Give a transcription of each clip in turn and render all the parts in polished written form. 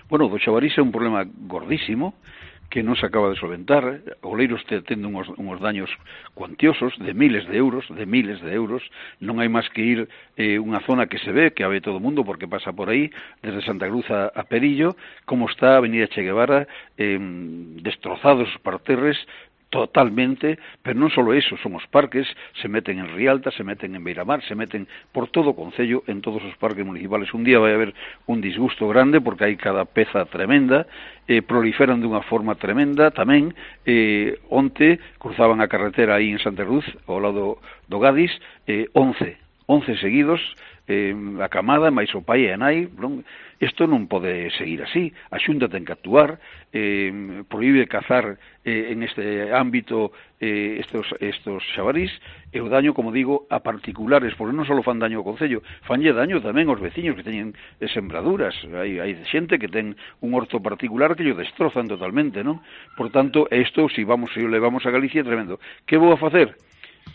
Bueno, do xabarís é un problema gordísimo que non se acaba de solventar. O Oleiros tende uns daños cuantiosos de miles de euros, non hai máis que ir unha zona que se ve, que a ve todo o mundo porque pasa por aí, desde Santa Cruz a Perillo, como está a Avenida Che Guevara, destrozados os parterres, totalmente, pero non só eso, son os parques, se meten en Rialta, se meten en Beiramar, se meten por todo o concello, en todos os parques municipales. Un día vai haber un disgusto grande, porque hai cada peza tremenda, proliferan dunha forma tremenda, tamén, onte cruzaban a carretera aí en Santa Cruz, ao lado do Gadis, 11 seguidos, a camada, máis o pai e a nai, non? Isto non pode seguir así. A Xunta ten que actuar, prohíbe cazar en este ámbito estos xabarís, e o daño, como digo, a particulares, porque non só fan daño ao Concello, fanlle daño tamén aos veciños que teñen sembraduras. Hai xente que ten un orto particular que lo destrozan totalmente, non? Por tanto, isto, se o levamos a Galicia, é tremendo. Que vou a facer?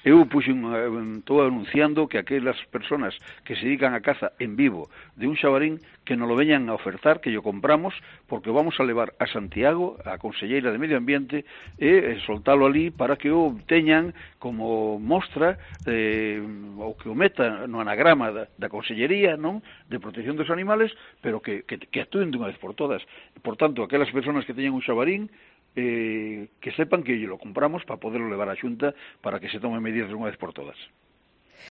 Eu estou anunciando que aquelas personas que se dedican a caza en vivo de un xabarín que nos lo veñan a ofertar, que lo compramos, porque vamos a levar a Santiago, a Conselleira de Medio Ambiente, e soltalo ali para que o teñan como mostra, ou que o meta no anagrama da Consellería, non, de protección dos animales, pero que actúen dunha vez por todas. Por tanto, aquelas personas que teñan un xabarín, que sepan que lo compramos para poderlo levar á Xunta para que se tomen medidas de unha vez por todas.